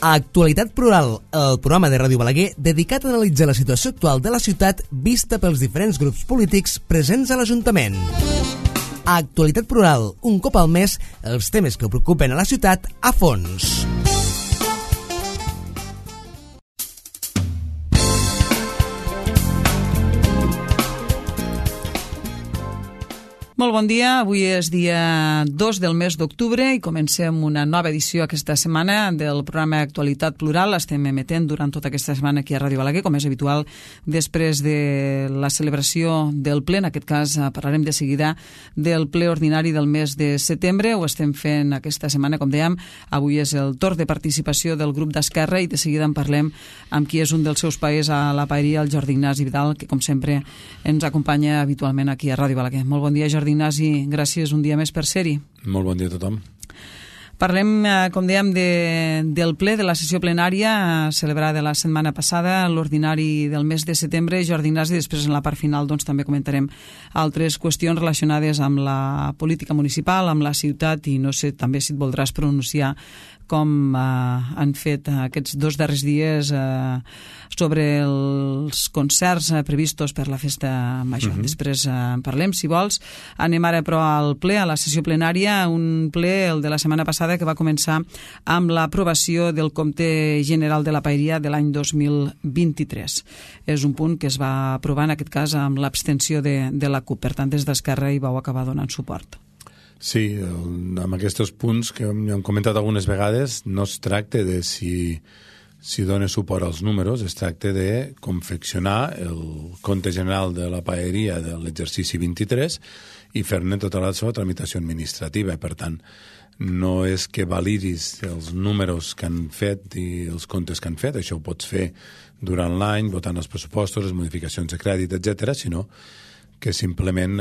A Actualitat Plural, el programa de Ràdio Balaguer dedicat a analitzar la situació actual de la ciutat vista pels diferents grups polítics presents a l'Ajuntament. A Actualitat Plural, un cop al mes, els temes que preocupen a la ciutat a fons. Molt bon dia, avui és dia 2 del mes d'octubre i comencem una nova edició aquesta setmana del programa Actualitat Plural. L'estem emetent durant tota aquesta setmana aquí a Ràdio Balaguer, com és habitual, després de la celebració del ple. En aquest cas parlarem de seguida del ple ordinari del mes de setembre. Ho estem fent aquesta setmana, com dèiem. Avui és el torn de participació del grup d'Esquerra i de seguida en parlem amb qui és un dels seus paers a la paeria, el Jordi Ignasi Vidal, que com sempre ens acompanya habitualment aquí a Ràdio Balaguer. Molt bon dia, Jordi Ignasi, gràcies un dia més per ser-hi. Molt bon dia a tothom. Parlem, com dèiem, del ple, de la sessió plenària celebrada la setmana passada, l'ordinari del mes de setembre. Jordi Ignasi, després en la part final també comentarem altres qüestions relacionades amb la política municipal, amb la ciutat, i no sé també si et voldràs pronunciar com han fet aquests 2 darrers dies sobre els concerts previstos per la festa major. Després en parlem, si vols. Anem ara, però, al ple, a la sessió plenària, un ple, el de la setmana passada, que va començar amb l'aprovació del compte general de la paeria de l'any 2023. És un punt que es va aprovar, en aquest cas, amb l'abstenció de la CUP. Per tant, des d'Esquerra hi vau acabar donant suport. Sí, amb aquests punts que hem comentat algunes vegades, no es tracta de si dona suport als números, es tracta de confeccionar el compte general de la paeria de l'exercici 23 i fer-ne tota la seva tramitació administrativa. Per tant, no és que validis els números que han fet i els comptes que han fet, això ho pots fer durant l'any, votant els pressupostos, les modificacions de crèdit, etc., sinó que simplement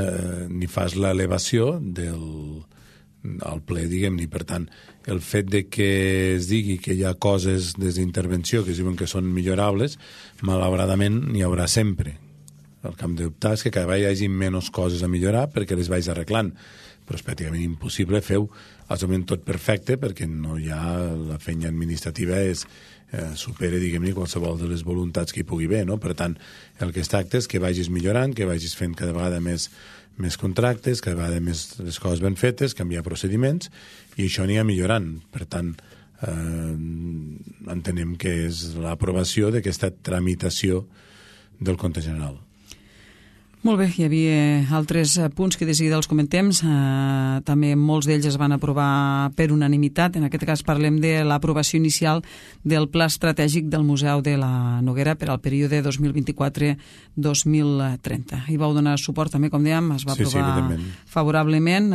n'hi fas l'elevació al ple, diguem-ne. Per tant, el fet de que es digui que hi ha coses des d'intervenció que es diuen que són millorables, malauradament n'hi haurà sempre. El que hem d'optar és que cada vegada hi hagi menys coses a millorar perquè les vaig arreglant. Però és pràcticament impossible fer absolutament tot perfecte perquè no hi ha la feina administrativa supera, diguem-ne, qualsevol de les voluntats que hi pugui haver, no? Per tant, el que es tracta és que vagis millorant, que vagis fent cada vegada més contractes, cada vegada més les coses ben fetes, canviar procediments, i això anirà millorant. Per tant, entenem que és l'aprovació d'aquesta tramitació del compte general. Molt bé, hi havia altres punts que de seguida els comentem. També molts d'ells es van aprovar per unanimitat. En aquest cas parlem de l'aprovació inicial del Pla Estratègic del Museu de la Noguera per al període 2024-2030. Hi vau donar suport també, com dèiem, es va aprovar favorablement,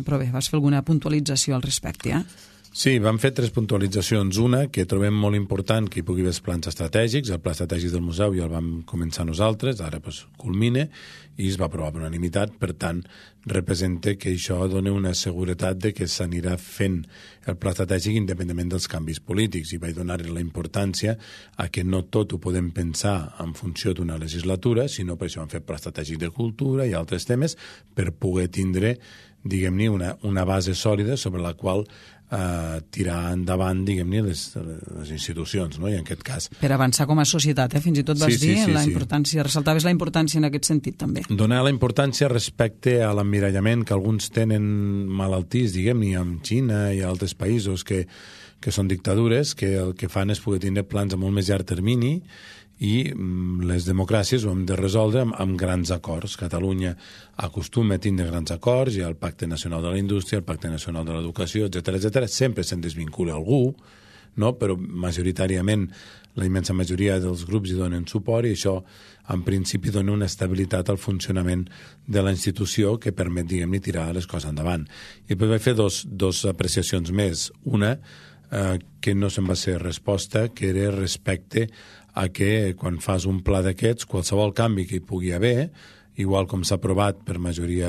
però bé, vas fer alguna puntualització al respecte, Sí, vam fer 3 puntualitzacions. Una, que trobem molt important que hi pugui haver els plans estratègics. El pla estratègic del museu ja el vam començar nosaltres, ara culmina, i es va aprovar per unanimitat. Per tant, representa que això dona una seguretat de que s'anirà fent el pla estratègic independentment dels canvis polítics, i vaig donar la importància a que no tot ho podem pensar en funció d'una legislatura, sinó per això hem fet pla estratègic de cultura i altres temes per poder tindre, diguem-ne, una base sòlida sobre la qual tirar endavant, diguem-ne, les institucions, no? I en aquest cas... Per avançar com a societat, fins i tot vas dir la importància, ressaltaves la importància en aquest sentit, també. Donar la importància respecte a l'emmirallament que alguns tenen malaltís, diguem-ne, amb Xina i altres països que són dictadures, que el que fan és poder tindre plans a molt més llarg termini, i les democràcies ho hem de resoldre amb grans acords. Catalunya acostuma a tindre grans acords, hi ha el Pacte Nacional de la Indústria, el Pacte Nacional de l'Educació, etc. Sempre se'n desvincula algú, no? Però majoritàriament la immensa majoria dels grups hi donen suport, i això en principi dona una estabilitat al funcionament de la institució que permet, diguem-ne, tirar les coses endavant. I després vaig fer dos apreciacions més. Una, que no se'n va ser resposta, que era respecte a que quan fas un pla d'aquests, qualsevol canvi que hi pugui haver, igual com s'ha aprovat per majoria,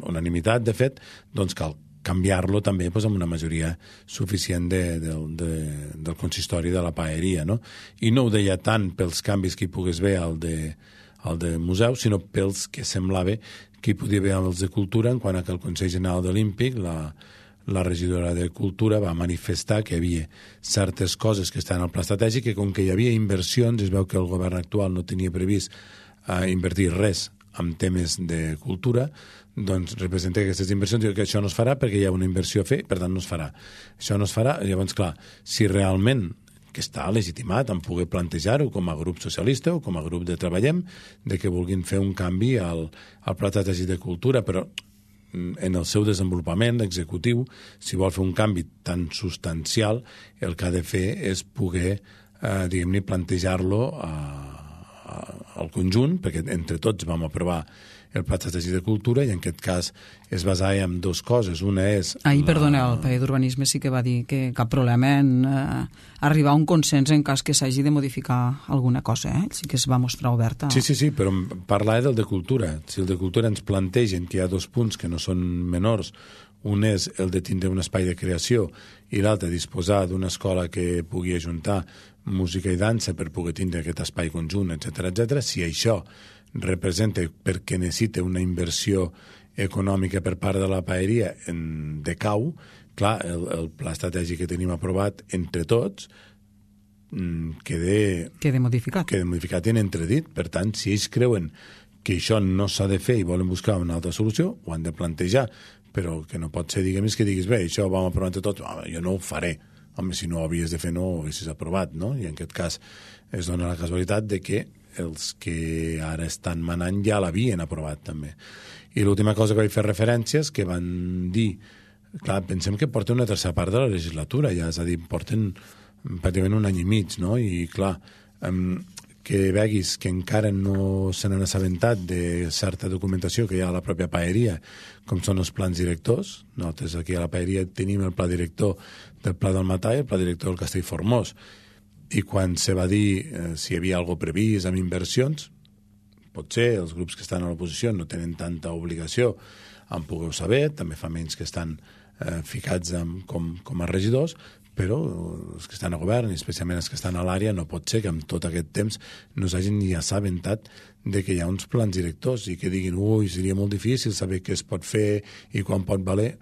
unanimitat, de fet, doncs cal canviar-lo també amb una majoria suficient del consistori de la paeria, no? I no ho deia tant pels canvis que hi pogués haver al de museu, sinó pels que semblava que hi podia haver els de cultura, en quant a que el Consell General de l'Olímpic, la regidora de Cultura va manifestar que hi havia certes coses que estan al pla estratègic, que com que hi havia inversions, es veu que el govern actual no tenia previst invertir res en temes de cultura, doncs representa que aquestes inversions, que això no es farà perquè hi ha una inversió a fer, per tant no es farà. Això no es farà, llavors clar, si realment que està legitimat en poder plantejar-ho com a grup socialista o com a grup de Treballem, de que vulguin fer un canvi al pla estratègic de cultura, però en el seu desenvolupament executiu, si vol fer un canvi tan substancial, el que ha de fer és poder, diguem-ne, plantejar-lo al conjunt, perquè entre tots vam aprovar el pla estratègic de cultura i en aquest cas es basava en dues coses. Una és... Perdoneu, el País d'Urbanisme sí que va dir que cap problema en arribar a un consens en cas que s'hagi de modificar alguna cosa, Sí que es va mostrar oberta. Sí, però parlava del de cultura. Si el de cultura ens plantegen que hi ha 2 punts que no són menors, un és el de tindre un espai de creació i l'altre disposar d'una escola que pugui ajuntar música i dansa per poder tindre aquest espai conjunt, etc. Si això representa perquè necessita una inversió econòmica per part de la paeria en decau, clar, el pla estratègic que tenim aprovat entre tots queda modificat i en entredit. Per tant, si ells creuen que això no s'ha de fer i volen buscar una altra solució, ho han de plantejar, però que no pot ser, diguem, que diguis, bé, això ho vam aprovar entre tots, jo no ho faré. Home, si no ho havies de fer, no ho haguessis aprovat, no? I en aquest cas es dona la casualitat de que els que ara estan manant ja l'havien aprovat, també. I l'última cosa que vaig fer referència és que van dir, clar, pensem que porten una tercera part de la legislatura, ja, és a dir, porten pràcticament un any i mig, no? I, clar, que veguis que encara no se n'han assabentat de certa documentació que hi ha a la pròpia paeria, com són els plans directors. Nosaltres aquí a la paeria tenim el pla director del Pla del Matà i el pla director del Castellformós. I quan se va dir si hi havia alguna cosa previst amb inversions, potser els grups que estan a l'oposició no tenen tanta obligació en poder-ho saber, també fa menys que estan ficats com a regidors, però els que estan a govern, i especialment els que estan a l'àrea, no pot ser que amb tot aquest temps no s'hagin ni assabentat de que hi ha uns plans directors i que diguin, seria molt difícil saber què es pot fer i quan pot valer.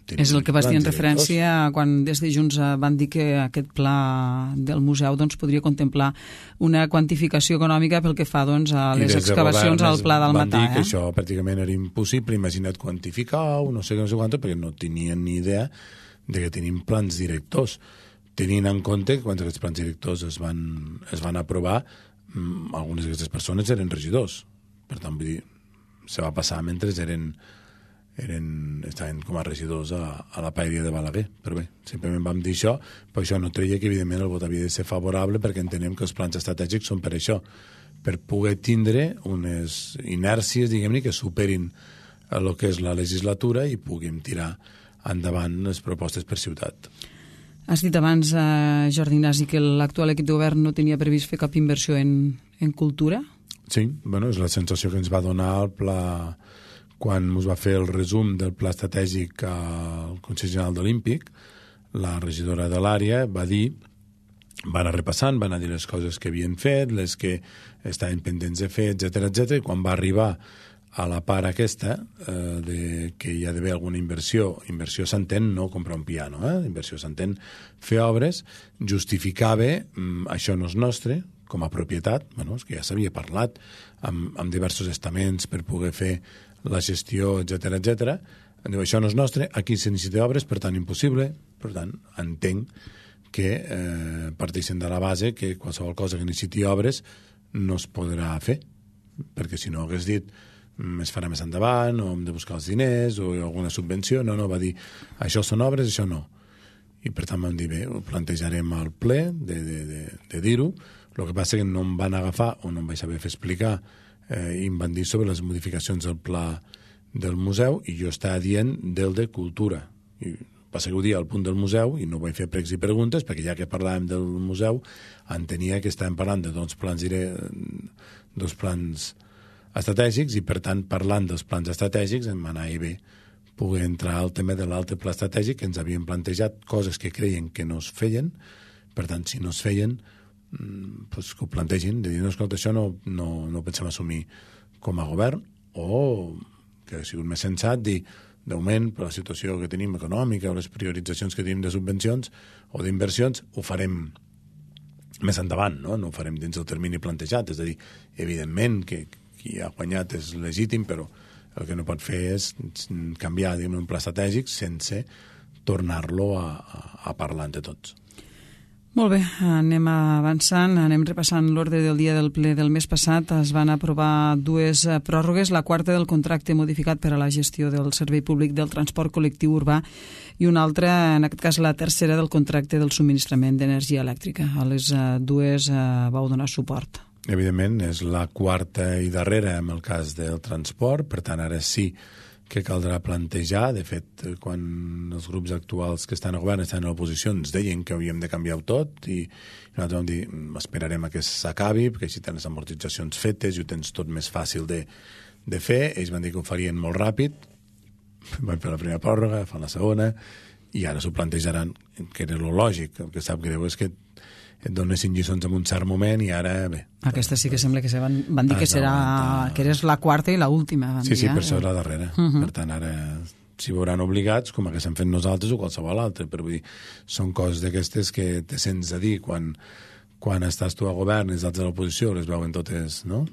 És el que vas dir en referència quan des de Junts van dir que aquest pla del museu podria contemplar una quantificació econòmica pel que fa a les excavacions al Pla del Matà. Van dir que això pràcticament era impossible, imagina't quantificar-ho, no sé quant, perquè no tenien ni idea de que tenim plans directors. Tenint en compte que quan aquests plans directors es van aprovar, algunes d'aquestes persones eren regidors. Per tant, vull dir, se va passar mentre estaven com a regidors a la paeria de Balaguer. Però bé, simplement vam dir això, però això no treia que evidentment el vot havia de ser favorable, perquè entenem que els plans estratègics són per això, per poder tindre unes inèrcies, diguem-ne, que superin el que és la legislatura i puguem tirar endavant les propostes per ciutat. Has dit abans, Jordi Ignasi, que l'actual equip de govern no tenia previst fer cap inversió en cultura? Sí, bueno, és la sensació que ens va donar el pla quan us va fer el resum del pla estratègic al Consell General Olímpic. La regidora de l'àrea va dir, va anar repassant, va anar dir les coses que havien fet, les que estaven pendents de fer, etc. I quan va arribar a la part aquesta de que hi ha d'haver alguna inversió s'entén no comprar un piano, inversió s'entén fer obres, justificava això no és nostre, com a propietat, és que ja s'havia parlat amb diversos estaments per poder fer la gestió, etc. Diu, això no és nostre, aquí se necessita obres, per tant impossible, per tant entenc que parteixen de la base que qualsevol cosa que necessiti obres no es podrà fer, perquè si no hagués dit es farà més endavant, o hem de buscar els diners, o alguna subvenció. No, va dir, això són obres, això no. I per tant vam dir, bé, ho plantejarem al ple de dir-ho. El que passa és que no em van agafar, o no em vaig saber fer explicar, i em van dir sobre les modificacions del pla del museu, i jo estava dient del de cultura. I passa que ho dia al punt del museu, i no vaig fer pregs i preguntes, perquè ja que parlàvem del museu, entenia que estàvem parlant de dos plans estratègics, i per tant parlant dels plans estratègics em anava bé poder entrar al tema de l'altre pla estratègic, que ens havien plantejat coses que creien que no es feien. Per tant, si no es feien, doncs que ho plantegin, de dir, no, escolta, això no pensem assumir com a govern, o que ha sigut més sensat dir, d'augment per la situació que tenim econòmica o les prioritzacions que tenim de subvencions o d'inversions, ho farem més endavant, no ho farem dins del termini plantejat. És a dir, evidentment que qui ha guanyat és legítim, però el que no pot fer és canviar un pla estratègic sense tornar-lo a parlar entre tots. Molt bé, anem avançant, anem repassant l'ordre del dia del ple del mes passat. Es van aprovar 2 pròrrogues, la quarta del contracte modificat per a la gestió del servei públic del transport col·lectiu urbà i una altra, en aquest cas la tercera, del contracte del subministrament d'energia elèctrica. A les 2 vau donar suport. Evidentment, és la quarta i darrera en el cas del transport, per tant, ara sí que caldrà plantejar. De fet, quan els grups actuals que estan a govern estan a l'oposició ens deien que havíem de canviar-ho tot i nosaltres vam dir, esperarem a que s'acabi, perquè així tens amortitzacions fetes i ho tens tot més fàcil de fer. Ells van dir que ho farien molt ràpid, van fer la primera pròrroga, fan la segona, i ara s'ho plantejaran, que era lo lògic. El que sap greu és que et donessin lliçons en un cert moment i ara, bé... Aquesta sí que sembla que van dir que eres la quarta i l'última. Sí, per això és la darrera. Per tant, ara s'hi veuran obligats, com que s'han fet nosaltres o qualsevol altre. Però vull dir, són coses d'aquestes que te sents a dir quan estàs tu a govern i els altres a l'oposició, les veuen totes, no?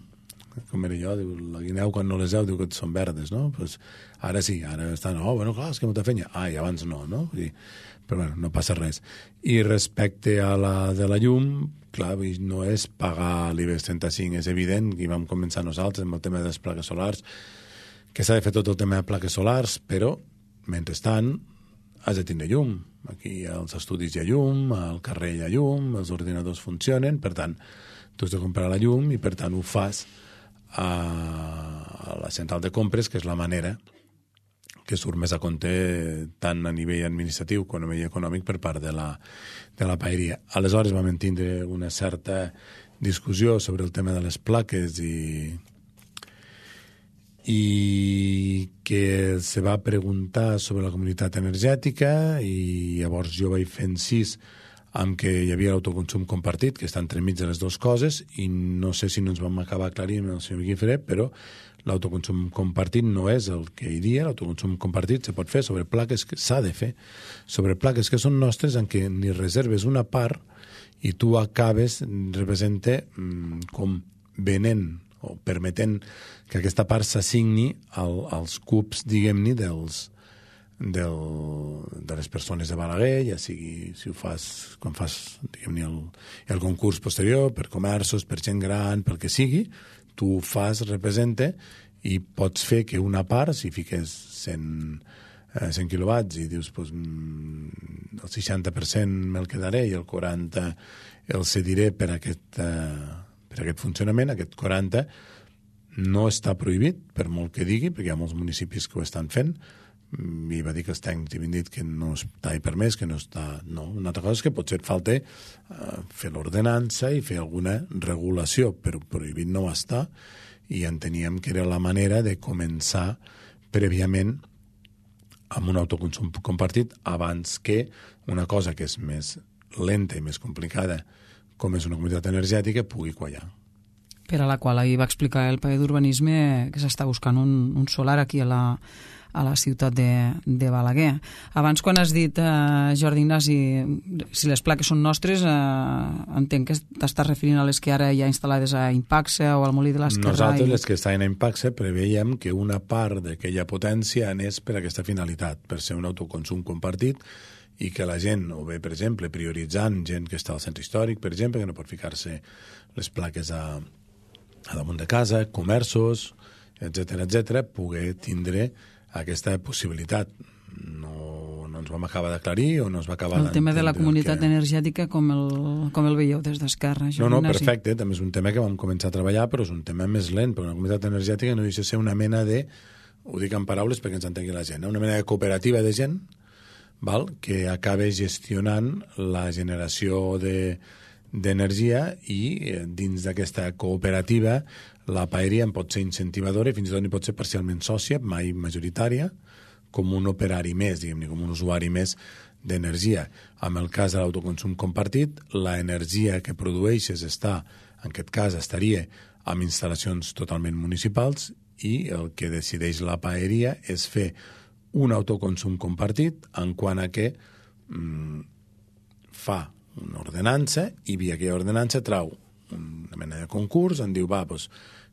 Com era jo, diu, la guineu quan no les veu diu que són verdes, no? Pues ara sí, ara estan, bueno, clar, és que molta feina. I abans no? Vull dir, però bueno, no passa res. I respecte a la de la llum, clar, no és pagar l'IBEX 35, és evident, i vam començar nosaltres amb el tema de les plaques solars, que s'ha de fer tot el tema de plaques solars, però, mentrestant, has de tindre llum. Aquí als estudis hi ha llum, al carrer hi ha llum, els ordinadors funcionen, per tant, tu has de comprar la llum i, per tant, ho fas a la central de compres, que és la manera que surt més a compte tant a nivell administratiu com a nivell econòmic per part de la paeria. Aleshores vam tindre una certa discussió sobre el tema de les plaques i que se va preguntar sobre la comunitat energètica i llavors jo vaig fer incís amb que hi havia l'autoconsum compartit, que està entremig de les dues coses, i no sé si no ens vam acabar aclarint amb el senyor Guifré, però l'autoconsum compartit no és el que hi havia. L'autoconsum compartit se pot fer sobre plaques que s'ha de fer, sobre plaques que són nostres en què ni reserves una part i tu acabes, representa com venent o permetent que aquesta part s'assigni als cubs, diguem-ne, de les persones de Balaguer, ja sigui si ho fas quan fas, diguem-ne, el concurs posterior, per comerços, per gent gran, pel que sigui, tu ho fas, representa, i pots fer que una part, si fiques 100 quilowatts i dius, pues, el 60% me'l quedaré i el 40% el cediré per aquest funcionament, aquest 40% no està prohibit, per molt que digui, perquè hi ha molts municipis que ho estan fent, i va dir que els tècnics havien dit que no està permès, que no està... No, una altra cosa és que potser et falta fer l'ordenança i fer alguna regulació, però prohibit no està, i enteníem que era la manera de començar prèviament amb un autoconsum compartit abans que una cosa que és més lenta i més complicada, com és una comunitat energètica, pugui quallar. Per a la qual ahir va explicar el paper d'urbanisme que s'està buscant un solar aquí a la ciutat de Balaguer. Abans, quan has dit, Jordi Ignasi, si les plaques són nostres, entenc que t'estàs referint a les que ara hi ha instal·lades a Impaxe o al Molí de l'Esquerra. Nosaltres, les que estan a Impaxe, preveiem que una part d'aquella potència anés per aquesta finalitat, per ser un autoconsum compartit, i que la gent, o bé, per exemple, prioritzant gent que està al centre històric, per exemple, que no pot ficar-se les plaques a damunt de casa, comerços, etc., poder tindre aquesta possibilitat. No ens vam acabar d'aclarir o no es va acabar el tema de la comunitat energètica com el veieu des d'Esquerra? No, perfecte, també és un tema que vam començar a treballar, però és un tema més lent, perquè la comunitat energètica no deixa de ser una mena de, ho dic en paraules perquè ens entengui la gent, una mena de cooperativa de gent que acaba gestionant la generació d'energia i dins d'aquesta cooperativa la paeria en pot ser incentivadora i fins i tot n'hi pot ser parcialment sòcia, mai majoritària, com un operari més, diguem-ne, com un usuari més d'energia. En el cas de l'autoconsum compartit, l'energia que produeixes en aquest cas estaria amb instal·lacions totalment municipals i el que decideix la paeria és fer un autoconsum compartit en quant a que fa una ordenança i via aquella ordenança trau una mena de concurs, en diu, doncs,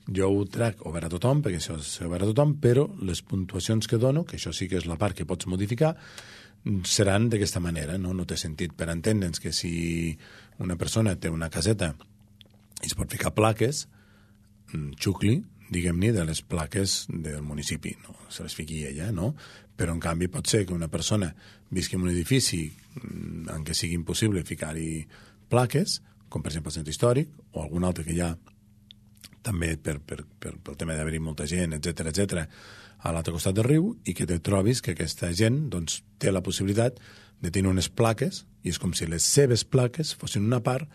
jo ho trac obert a tothom, perquè això és obert a tothom, però les puntuacions que dono, que això sí que és la part que pots modificar, seran d'aquesta manera, no té sentit per entendre'ns que si una persona té una caseta i es pot ficar plaques, xucli, diguem-ne, de les plaques del municipi, no se les fiqui ella, no? Però en canvi pot ser que una persona visqui en un edifici en què sigui impossible ficar-hi plaques, com per exemple el centre històric, o algun altre que hi ha també pel tema d'haver-hi molta gent, etc a l'altre costat del riu, i que te trobis que aquesta gent doncs, té la possibilitat de tenir unes plaques, i és com si les seves plaques fossin una part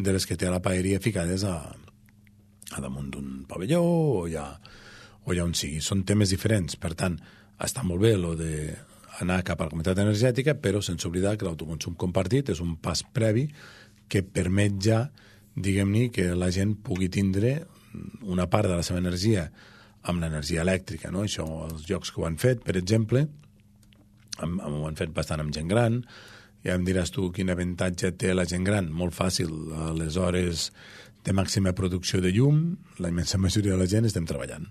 de les que té a la paeria ficades a damunt d'un pavelló o ja on sigui. Són temes diferents, per tant, està molt bé lo d'anar cap a la comunitat energètica, però sense oblidar que l'autoconsum compartit és un pas previ que permet ja, diguem-ne, que la gent pugui tindre una part de la seva energia amb l'energia elèctrica, no? Això, els llocs que ho han fet, per exemple, ho han fet bastant amb gent gran, ja em diràs tu quin avantatge té la gent gran, molt fàcil, a les hores de màxima producció de llum, la immensa majoria de la gent estem treballant.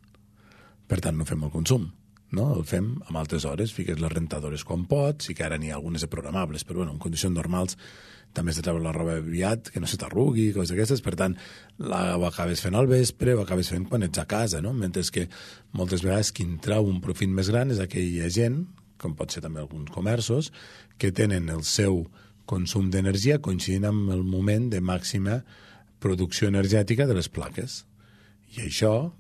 Per tant, no fem el consum, no? El fem amb altres hores, fiques les rentadores quan pots, sí que ara n'hi ha algunes de programables, però bueno, en condicions normals també has de treure la roba aviat, que no se t'arrugui, coses d'aquestes, per tant, ho acabes fent al vespre, ho acabes fent quan ets a casa, no? Mentre que moltes vegades qui en trau un profit més gran és aquella gent, com pot ser també alguns comerços, que tenen el seu consum d'energia coincidint amb el moment de màxima producció energètica de les plaques. I això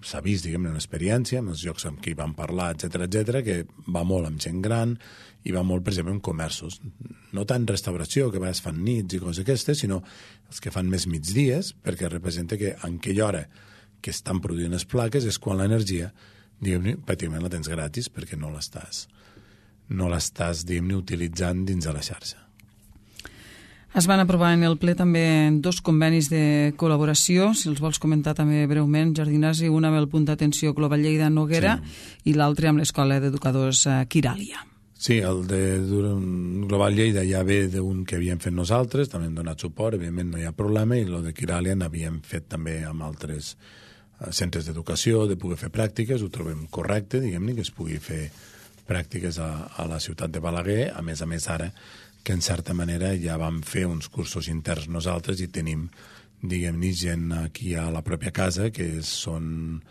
s'ha vist, diguem-ne, una experiència amb els llocs amb qui vam parlar, etc, que va molt amb gent gran i va molt, per exemple, en comerços. No tant restauració, que a vegades fan nits i coses aquestes, sinó els que fan més migdies, perquè representa que en aquella hora que estan produint les plaques és quan l'energia, diguem-ne, pràcticament la tens gratis perquè no l'estàs, diguem-ne, utilitzant dins de la xarxa. Es van aprovar en el ple també 2 convenis de col·laboració, si els vols comentar també breument, Jordi Ignasi, un amb el punt d'atenció Global Lleida Noguera i l'altre amb l'Escola d'Educadors Quiràlia. Sí, el de Global Lleida ja ve d'un que havíem fet nosaltres, també hem donat suport, evidentment no hi ha problema, i el de Quiràlia n'havíem fet també amb altres centres d'educació, de poder fer pràctiques, ho trobem correcte, diguem-ne, que es pugui fer pràctiques a la ciutat de Balaguer, a més ara, que en certa manera ja vam fer uns cursos interns nosaltres i tenim, diguem-ne, gent aquí a la pròpia casa que són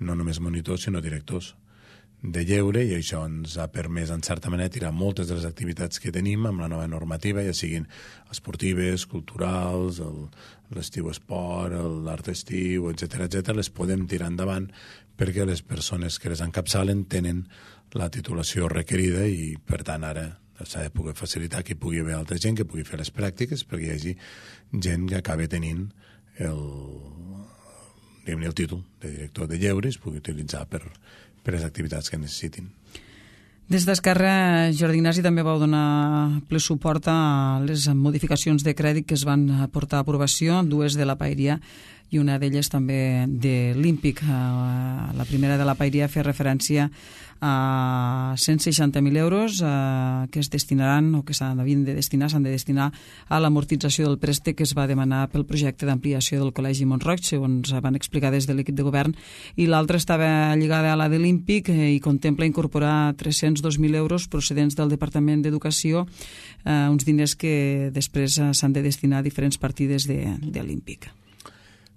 no només monitors, sinó directors de lleure, i això ens ha permès, en certa manera, tirar moltes de les activitats que tenim amb la nova normativa, ja siguin esportives, culturals, l'estiu esport, l'art estiu, etc, les podem tirar endavant perquè les persones que les encapçalen tenen la titulació requerida i, per tant, ara s'ha de poder facilitar que hi pugui haver altra gent que pugui fer les pràctiques perquè hi hagi gent que acabi tenint el títol de director de lleure i es pugui utilitzar per les activitats que necessitin. Des d'Esquerra, Jordi Ignasi, també vau donar ple suport a les modificacions de crèdit que es van portar a aprovació, 2 de la Paeria i una d'elles també de l'Ímpic. La primera de la Paeria feia referència a 160.000 euros que es destinaran o que s'han de destinar a l'amortització del préstec que es va demanar pel projecte d'ampliació del Col·legi Mont-roig, segons van explicar des de l'equip de govern, i l'altra estava lligada a la de l'Ímpic i contempla incorporar 302.000 euros procedents del Departament d'Educació, uns diners que després s'han de destinar a diferents partides de l'Ímpic.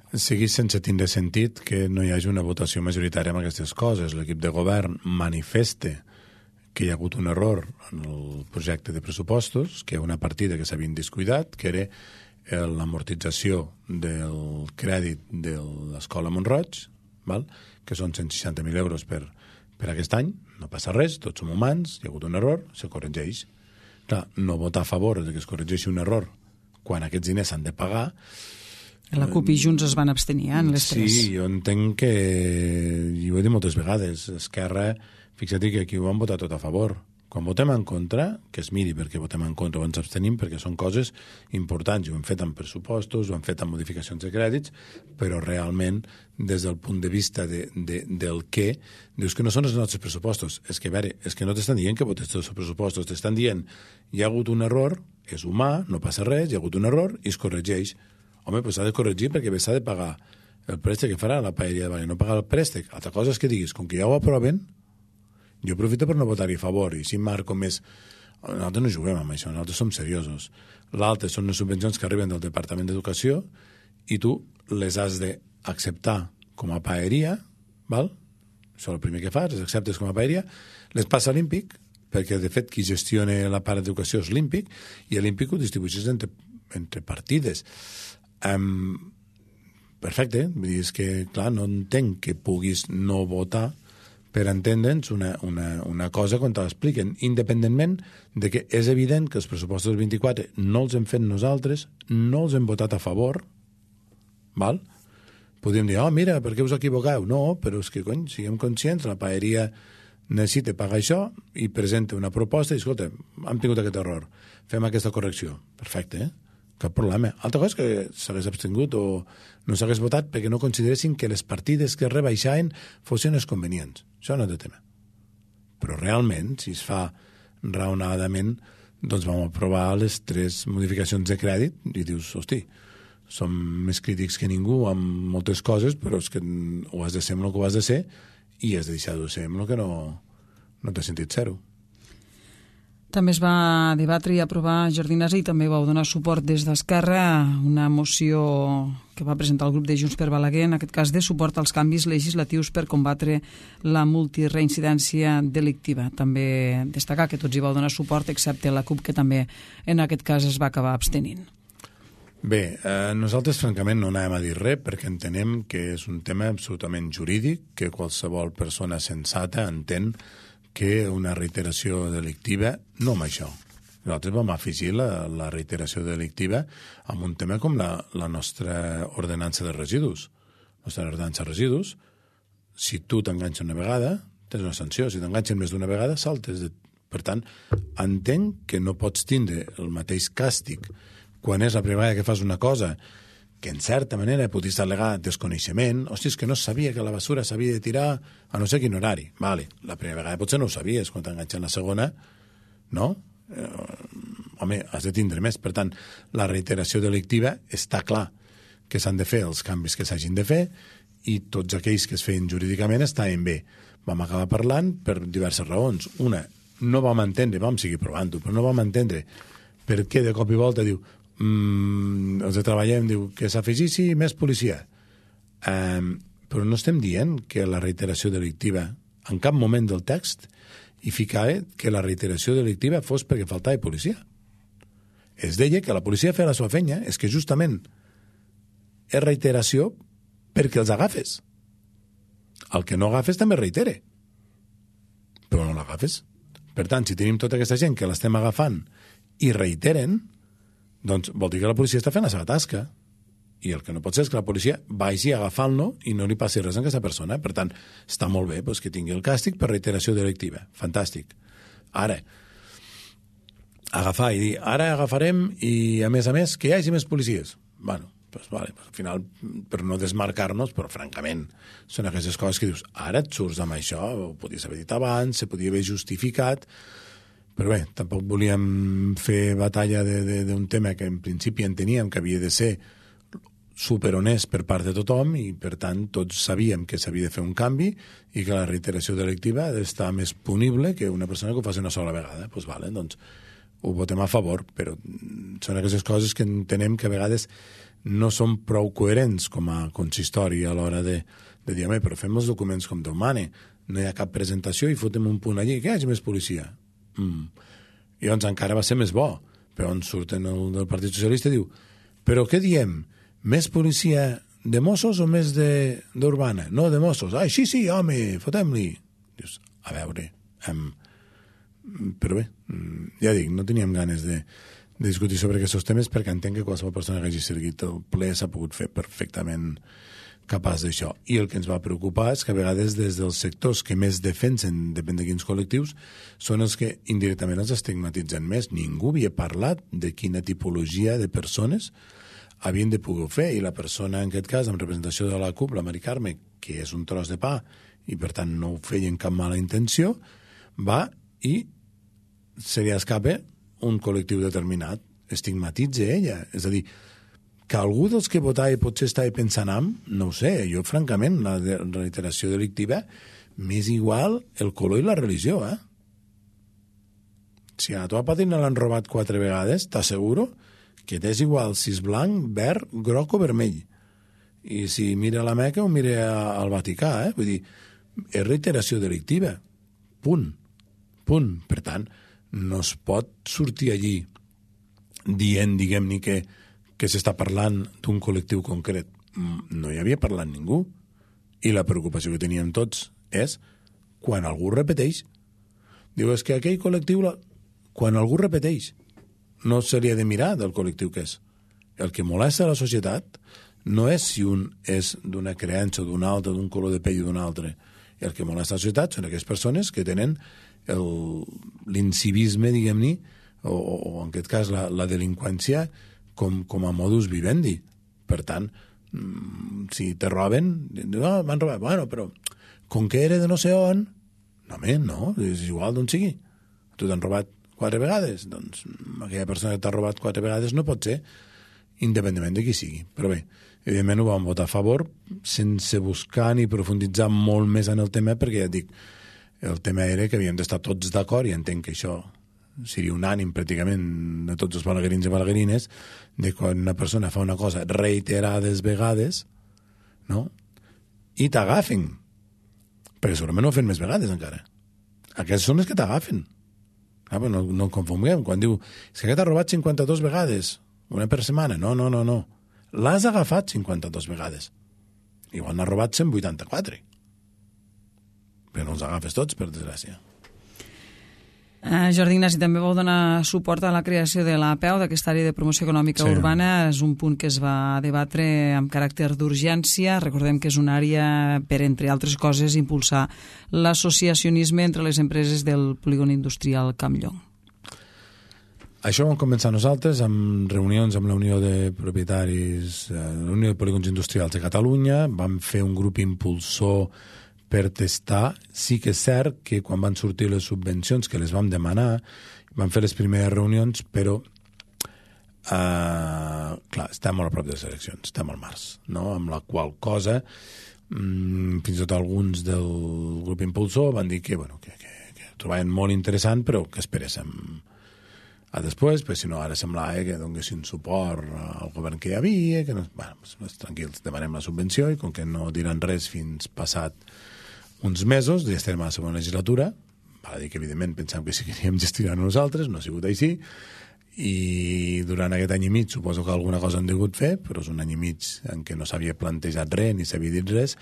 Segueix sense tindre sentit que no hi hagi una votació majoritària amb aquestes coses. L'equip de govern manifesta que hi ha hagut un error en el projecte de pressupostos, que hi ha una partida que s'havia descuidat, que era l'amortització del crèdit de l'Escola Mont-roig, que són 160.000 euros per aquest any. No passa res, tots som humans, hi ha hagut un error, se corregeix. Clar, no votar a favor de que es corregeixi un error quan aquests diners s'han de pagar. La CUP i Junts es van abstenir en les 3. Sí, jo entenc que, i ho he dit moltes vegades, Esquerra, fixa't que aquí ho van votar tot a favor, Quan votem en contra, que es miri perquè votem en contra o ens abstenim, perquè són coses importants, i ho hem fet amb pressupostos, ho hem fet amb modificacions de crèdits, però realment, des del punt de vista del què, dius que no són els nostres pressupostos. És que, a veure, és que no t'estan dient que votes els pressupostos, t'estan dient hi ha hagut un error, és humà, no passa res, hi ha hagut un error i es corregeix. Home, doncs s'ha de corregir perquè s'ha de pagar el préstec que farà la paeria de Balaguer, no pagar el préstec. Altra cosa és que diguis, com que ja ho aproven, jo aprofito per no votar-hi a favor, i si marco més... Nosaltres no juguem amb això, nosaltres som seriosos. L'altre són les subvencions que arriben del Departament d'Educació i tu les has d'acceptar com a paeria, val? Això és el primer que fas, les acceptes com a paeria, les passa a l'Ímpic, perquè de fet qui gestiona la part d'educació és l'Ímpic, i l'Ímpic ho distribueixes entre partides. Perfecte, vull dir, és que, clar, no entenc que puguis no votar per entendre'ns una cosa quan te l'expliquen, independentment de que és evident que els pressupostos del 24 no els hem fet nosaltres, no els hem votat a favor, val? Podríem dir, mira, per què us equivoqueu? No, però és que, cony, siguem conscients, la paeria necessita pagar això i presenta una proposta i, escolta, hem tingut aquest error, fem aquesta correcció. Perfecte, cap problema. Altra cosa és que s'hagués abstingut o no s'hagués votat perquè no consideressin que les partides que es rebaixaven fossin les convenients. Això no té tema. Però realment, si es fa raonadament, doncs vam aprovar les 3 modificacions de crèdit i dius, hosti, som més crítics que ningú amb moltes coses, però és que ho has de ser amb el que ho has de ser i has de deixar de ser amb el que no té sentit ser-ho. També es va debatre i aprovar, Jordi Nasi, i també vau donar suport des d'Esquerra una moció que va presentar el grup de Junts per Balaguer, en aquest cas de suport als canvis legislatius per combatre la multireincidència delictiva. També destacar que tots hi vau donar suport, excepte la CUP, que també en aquest cas es va acabar abstenint. Bé, nosaltres francament no anàvem a dir res perquè entenem que és un tema absolutament jurídic, que qualsevol persona sensata entén que una reiteració delictiva, no amb això. Nosaltres vam afegir la reiteració delictiva amb un tema com la nostra ordenança de residus. La nostra ordenança de residus, si tu t'enganxes una vegada, tens una sanció. Si t'enganxen més d'una vegada, saltes. Per tant, entenc que no pots tindre el mateix càstig quan és la primera vegada que fas una cosa que en certa manera podries al·legar desconeixement. Hòstia, és que no sabia que la basura s'havia de tirar a no sé quin horari. Vale, la primera vegada potser no ho sabies, quan t'enganxen la segona, no? Home, has de tindre més. Per tant, la reiteració delictiva està clar que s'han de fer els canvis que s'hagin de fer i tots aquells que es feien jurídicament estaven bé. Vam acabar parlant per diverses raons. Una, no vam entendre, vam seguir provant-ho, però no vam entendre per què de cop i volta diu els de treballem, diu que s'afegissi més policia. Però no estem dient que la reiteració delictiva, en cap moment del text, hi ficava que la reiteració delictiva fos perquè faltava policia. Es deia que la policia feia la seva feina, és que justament és reiteració perquè els agafes. El que no agafes també reitere. Però no l'agafes. Per tant, si tenim tota aquesta gent que l'estem agafant i reiteren, doncs vol dir que la policia està fent la seva tasca. I el que no pot ser és que la policia vagi agafant-lo i no li passi res a aquesta persona. Per tant, està molt bé que tingui el càstig per reiteració delictiva. Fantàstic. Ara, agafar i dir, ara agafarem i, a més, que hi hagi més policies. Bueno, doncs vale, al final, per no desmarcar-nos, però francament, són aquestes coses que dius, ara et surts amb això, ho podies haver dit abans, se podia haver justificat. Però bé, tampoc volíem fer batalla d'un tema que en principi enteníem que havia de ser superhonest per part de tothom i, per tant, tots sabíem que s'havia de fer un canvi i que la reiteració delictiva ha d'estar més punible que una persona que ho faci una sola vegada. Doncs vale, doncs ho votem a favor, però són aquestes coses que entenem que a vegades no són prou coherents com a consistori a l'hora de dir, home, però fem els documents com Déu mana, no hi ha cap presentació i fotem un punt allí, que hi hagi més policia. I llavors encara va ser més bo, però on surten el del Partit Socialista i diu, però què diem? Més policia de Mossos o més d'Urbana? No, de Mossos. Ai, sí, home, fotem-li. Dius, a veure, però bé, ja dic, no teníem ganes de discutir sobre aquests temes perquè entenc que qualsevol persona que hagi seguit el ple s'ha pogut fer perfectament capaç d'això. I el que ens va preocupar és que a vegades des dels sectors que més defensen, depèn de quins col·lectius, són els que indirectament els estigmatitzen més. Ningú havia parlat de quina tipologia de persones havien de poder fer, i la persona, en aquest cas, en representació de la CUP, la Mari Carme, que és un tros de pa, i per tant no ho feia amb cap mala intenció, va i se li escapa un col·lectiu determinat, estigmatitza ella. És a dir, que algú dels que votava potser estava pensant no ho sé, jo francament, la reiteració delictiva m'és igual el color i la religió, Si a la teva pàtina l'han robat 4 vegades, t'asseguro que t'és igual si és blanc, verd, groc o vermell. I si mira la Meca o mira al Vaticà, Vull dir, és reiteració delictiva. Punt. Per tant, no es pot sortir allí dient, diguem-ne, que s'està parlant d'un col·lectiu concret. No hi havia parlat ningú. I la preocupació que teníem tots és quan algú repeteix. Diu, és que aquell col·lectiu, quan algú repeteix, no se li ha de mirar del col·lectiu que és. El que molesta a la societat no és si un és d'una creença o d'una altra, d'un color de pell o d'un altre. El que molesta a la societat són aquelles persones que tenen l'incivisme, diguem-ne, o en aquest cas la delinqüència com a modus vivendi. Per tant, si te roben, m'han robat, bueno, però com que era de no sé on, no, és igual d'on sigui. Tu t'han robat 4 vegades, doncs aquella persona que t'ha robat 4 vegades no pot ser, independentment de qui sigui. Però bé, evidentment ho vam votar a favor sense buscar ni profunditzar molt més en el tema, perquè ja et dic, el tema era que havíem d'estar tots d'acord, i entenc que això seria unànim pràcticament de tots els balaguerins i balaguerines, de quan una persona fa una cosa reiterades vegades, no? I t'agafen, perquè segurament ho fan més vegades encara. Aquests són els que t'agafen. No confonguem. Quan diu, és que aquest ha robat 52 vegades, una per setmana. No. L'has agafat 52 vegades. Igual n'ha robat 184. Però no els agafes tots, per desgràcia. Jordi Ignasi, també vau donar suport a la creació de l'APEU, d'aquesta àrea de promoció econòmica urbana. És un punt que es va debatre amb caràcter d'urgència. Recordem que és una àrea per, entre altres coses, impulsar l'associacionisme entre les empreses del polígon industrial Campllong. Això vam començar nosaltres amb reunions amb la Unió de Propietaris, la Unió de Polígons Industrials de Catalunya. Vam fer un grup impulsor per testar. Sí que és cert que quan van sortir les subvencions que les vam demanar, vam fer les primeres reunions, però clar, estem molt a prop de les eleccions, estem al març, no? Amb la qual cosa fins i tot alguns del grup impulsor van dir que ho trobaven molt interessant, però que esperéssim a després, perquè si no ara semblava que donessin suport al govern que hi havia, que no, tranquils, demanem la subvenció, i com que no diran res fins passat uns mesos, ja estarem a la segona legislatura. Val a dir que evidentment pensàvem que sí que queríem gestionar nosaltres, no ha sigut així, i durant aquest any i mig suposo que alguna cosa hem degut fer, però és un any i mig en què no s'havia plantejat res ni s'havia dit res,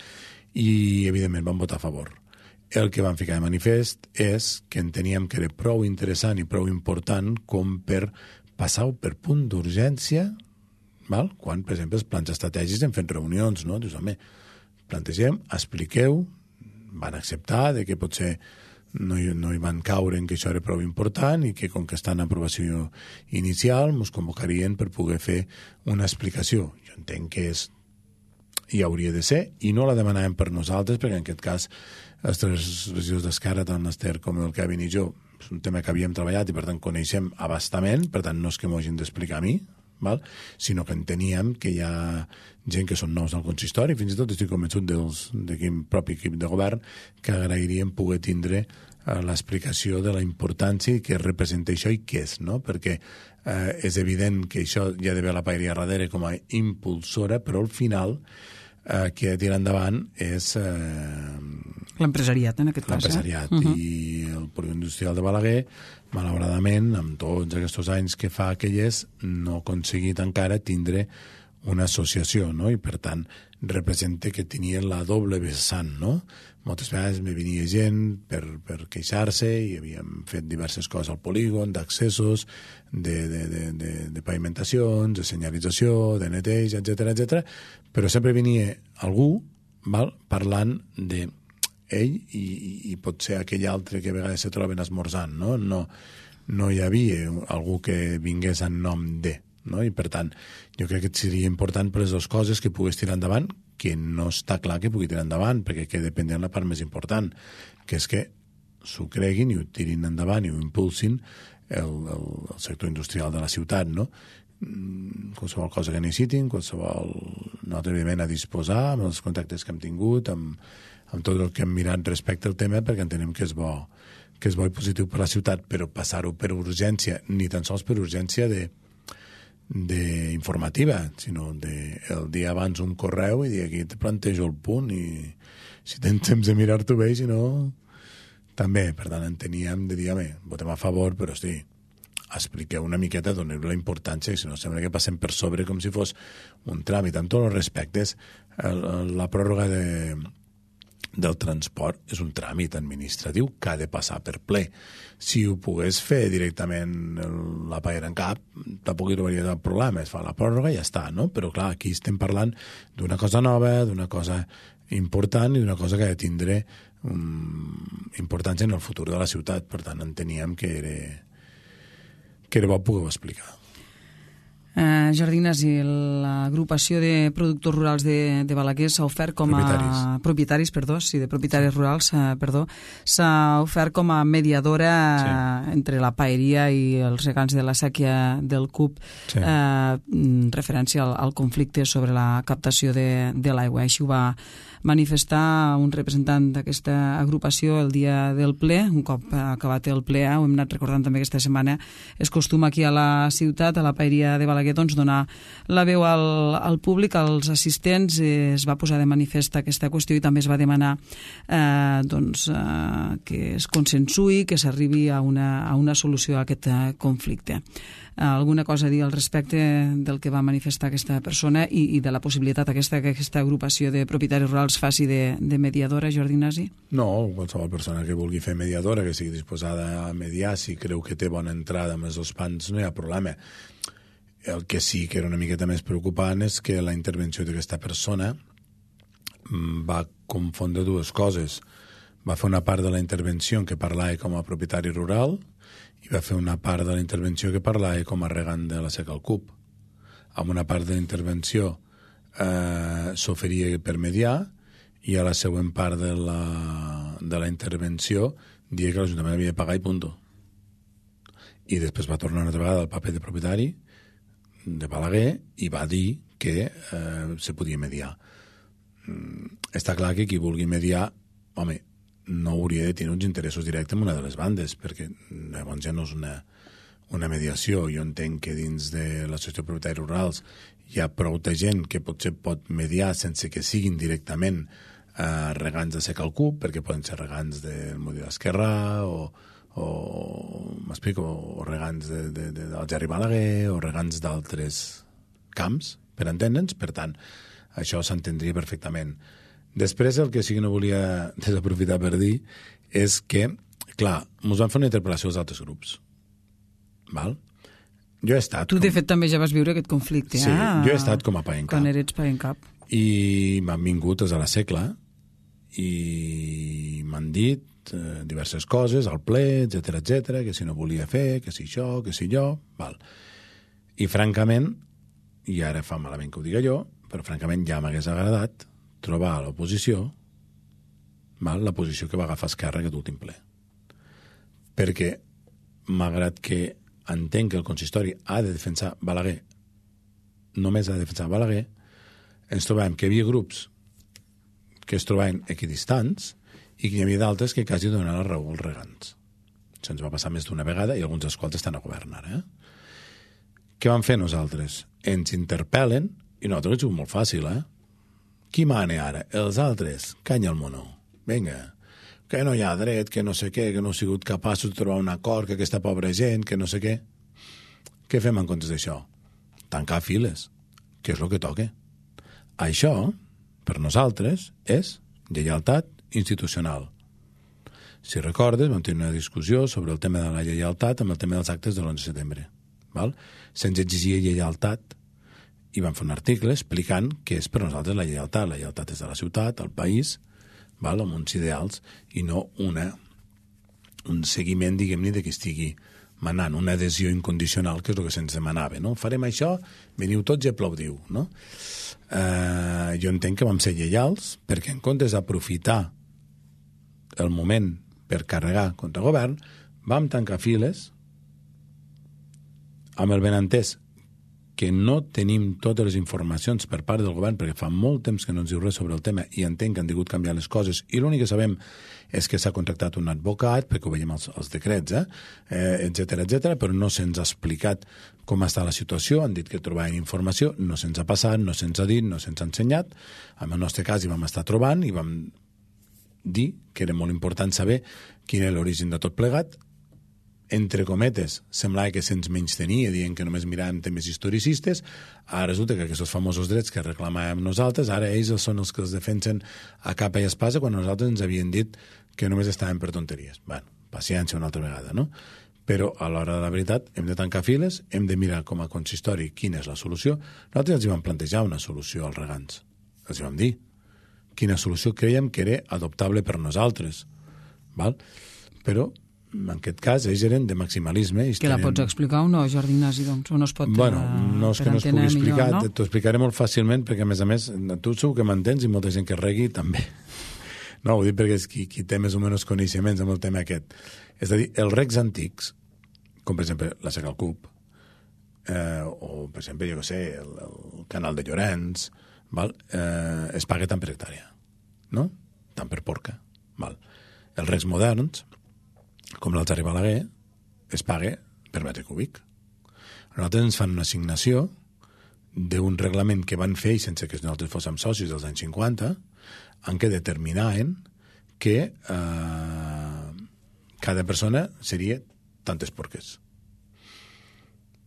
i evidentment vam votar a favor. El que vam ficar de manifest és que enteníem que era prou interessant i prou important com per passar-ho per punt d'urgència, quan, per exemple, els plans estratègics hem fet reunions, no? Dius, home, plantegem, expliqueu, van acceptar de que potser no hi van caure en que això era prou important i que com que està en aprovació inicial ens convocarien per poder fer una explicació. Jo entenc que hi hauria de ser, i no la demanàvem per nosaltres, perquè en aquest cas els tres regidors d'Esquerra, tant l'Ester com el Kevin i jo, és un tema que havíem treballat i per tant coneixem abastament, per tant no és que m'ho hagin d'explicar a mi, sinó que enteníem que hi ha gent que són nous al consistori, fins i tot estic convençut d'aquest propi equip de govern que agrairíem poder tindre l'explicació de la importància i què representa això i què és, no? Perquè és evident que això hi ha d'haver la paeria darrere com a impulsora, però al final qui ha de tirar endavant és l'empresariat, en aquest cas. L'empresariat. I el polígon industrial de Balaguer, malauradament, amb tots aquests anys que fa que hi és, no ha aconseguit encara tindre una associació, no? I per tant representa que tenien la doble vessant, no? Moltes vegades me venia gent per queixar-se i havíem fet diverses coses al polígon, d'accessos, de pavimentacions, de senyalització, de neteig, etc, però sempre venia algú, val, parlant de ell i potser aquell altre que a vegades se troben esmorzant, no? No hi havia algú que vingués en nom de, no? I per tant, jo crec que seria important per les dues coses que pogués tirar endavant, que no està clar que pugui tirar endavant, perquè que depèn de la part més important, que és que s'ho creguin i ho tirin endavant i ho impulsin el sector industrial de la ciutat, no? Qualsevol cosa que necessitin, qualsevol nota evidentment a disposar, amb els contactes que hem tingut, amb tot el que hem mirat respecte al tema, perquè entenem que és bo i positiu per la ciutat, però passar-ho per urgència, ni tan sols per urgència informativa, sinó el dia abans un correu i dir aquí te plantejo el punt i si tens temps de mirar-t'ho bé, si no també, per tant enteníem de dir, votem a favor, però hosti, expliqueu una miqueta, doneu la importància, si no sembla que passem per sobre com si fos un tràmit. Amb tots els respectes, la pròrroga del transport és un tràmit administratiu que ha de passar per ple. Si ho pogués fer directament la paguera en cap, tampoc hi hauria cap problema, es fa la pròrroga i ja està, no? Però clar, aquí estem parlant d'una cosa nova, d'una cosa important i d'una cosa que ha de tindre importància en el futur de la ciutat. Per tant, enteníem que era bo poder-ho explicar. Jordi Ignasi, l'agrupació de productors rurals de Balaguer s'ha ofert com a... Propietaris, perdó, sí, de propietaris rurals, perdó, s'ha ofert com a mediadora entre la paeria i els regants de la sèquia del CUP, referència al conflicte sobre la captació de l'aigua. Així ho va manifestar un representant d'aquesta agrupació el dia del ple. Un cop acabat el ple, ho hem anat recordant també aquesta setmana, és costum aquí a la ciutat, a la paeria de Balaguer, doncs donar la veu al públic, als assistents. Es va posar de manifest aquesta qüestió i també es va demanar que es consensui, que s'arribi a una solució a aquest conflicte. Alguna cosa a dir al respecte del que va manifestar aquesta persona i de la possibilitat que aquesta agrupació de propietaris rurals faci de mediadora, Jordi Ignasi? No, qualsevol persona que vulgui fer mediadora, que sigui disposada a mediar, si creu que té bona entrada amb els dos pans, no hi ha problema. El que sí que era una miqueta més preocupant és que la intervenció d'aquesta persona va confondre dues coses. Va fer una part de la intervenció en què parlava com a propietari rural i va fer una part de la intervenció que parlava com a regant de la seca al CUP. Amb una part de la intervenció s'oferia per mediar i a la següent part de la intervenció dia que l'Ajuntament havia de pagar i punto. I després va tornar una altra vegada al paper de propietari de Balaguer i va dir que se podia mediar. Està clar que qui vulgui mediar, home, no hauria de tenir uns interessos directes amb una de les bandes, perquè llavors ja no és una mediació. Jo entenc que dins de l'associació de propietaris rurals hi ha prou de gent que potser pot mediar sense que siguin directament regants de seca al CUP, perquè poden ser regants del Mudi d'Esquerrà m'explico, o regants del Gerri Balaguer o regants d'altres camps, per entendre'ns. Per tant, això s'entendria perfectament. Després, el que sí que no volia desaprofitar per dir és que, clar, ens van fer una interpel·lació als altres grups. Val? Jo he estat... Tu, de fet, també ja vas viure aquest conflicte. Sí, jo he estat com a PAENCAP. Quan eres PAENCAP. I m'han vingut des de la Secla i m'han dit diverses coses, al ple, etc, que si no volia fer, que si això, que si jo... Val. I, francament, i ara fa malament que ho diga jo, però, francament, ja m'hagués agradat trobar a l'oposició la posició que va agafar Esquerra aquest últim ple. Perquè, malgrat que entenc que el consistori ha de defensar Balaguer, només ha de defensar Balaguer, ens trobàvem que hi havia grups que es trobaven equidistants i que hi havia d'altres que quasi donaven la raó als regants. Això ens va passar més d'una vegada i alguns dels quals estan a govern ara. Què vam fer nosaltres? Ens interpel·len i nosaltres ho hem molt fàcil, Qui mane ara? Els altres? Canya el mono. Vinga. Que no hi ha dret, que no sé què, que no he sigut capaços de trobar un acord, que aquesta pobra gent, que no sé què. Què fem en comptes d'això? Tancar files. que és el que toca. Això, per nosaltres, és lleialtat institucional. Si recordes, vam tenir una discussió sobre el tema de la lleialtat amb el tema dels actes de l'11 de setembre. Se'ns exigia lleialtat i vam fer un article explicant què és per nosaltres la lleialtat. La lleialtat és de la ciutat, al país, amb uns ideals, i no un seguiment, diguem-ne, de que estigui manant, una adhesió incondicional, que és el que se'ns demanava. No? Farem això, veniu tots i aplaudiu. No? Jo entenc que vam ser lleials, perquè en comptes d'aprofitar el moment per carregar contra el govern, vam tancar files amb el benentès que no tenim totes les informacions per part del govern, perquè fa molt temps que no ens diu res sobre el tema i entenc que han degut canviar les coses, i l'únic que sabem és que s'ha contractat un advocat, perquè ho veiem als decrets, etcètera, però no se'ns ha explicat com està la situació, han dit que trobaven informació, no se'ns ha passat, no se'ns ha dit, no se'ns ha ensenyat. En el nostre cas hi vam estar trobant i vam dir que era molt important saber quin era l'origen de tot plegat. Entre cometes, semblava que se'ns menystenia, dient que només miràvem temes historicistes. Ara resulta que aquests famosos drets que reclamàvem nosaltres, ara ells són els que els defensen a capa i espasa, quan nosaltres ens havien dit que només estàvem per tonteries. Bueno, paciència una altra vegada, no? Però a l'hora de la veritat hem de tancar files, hem de mirar com a consistori quina és la solució. Nosaltres els hi vam plantejar una solució als regants. Els hi vam dir quina solució creiem que era adoptable per nosaltres. Però en aquest cas, ells eren de maximalisme. Que la pots explicar o no, Jordi Ignasi, doncs? O no es pot... Bueno, no és que no es pugui explicar, no? T'ho explicaré molt fàcilment, perquè, a més, tu segur que m'entens i molta gent que regui també. No, ho dic perquè és qui té més o menys coneixements amb el tema aquest. És a dir, els recs antics, com per exemple la Seca al Cub, o per exemple, jo què sé, el canal de Llorenç, es paga tant per hectàrea, no? Tant per porca. Els recs moderns, com l'Alzari Balaguer, es paga per metre cúbic. A nosaltres ens fan una assignació d'un reglament que van fer, i sense que nosaltres fóssim socis dels anys 50, en què determinaven que cada persona seria tantes porques.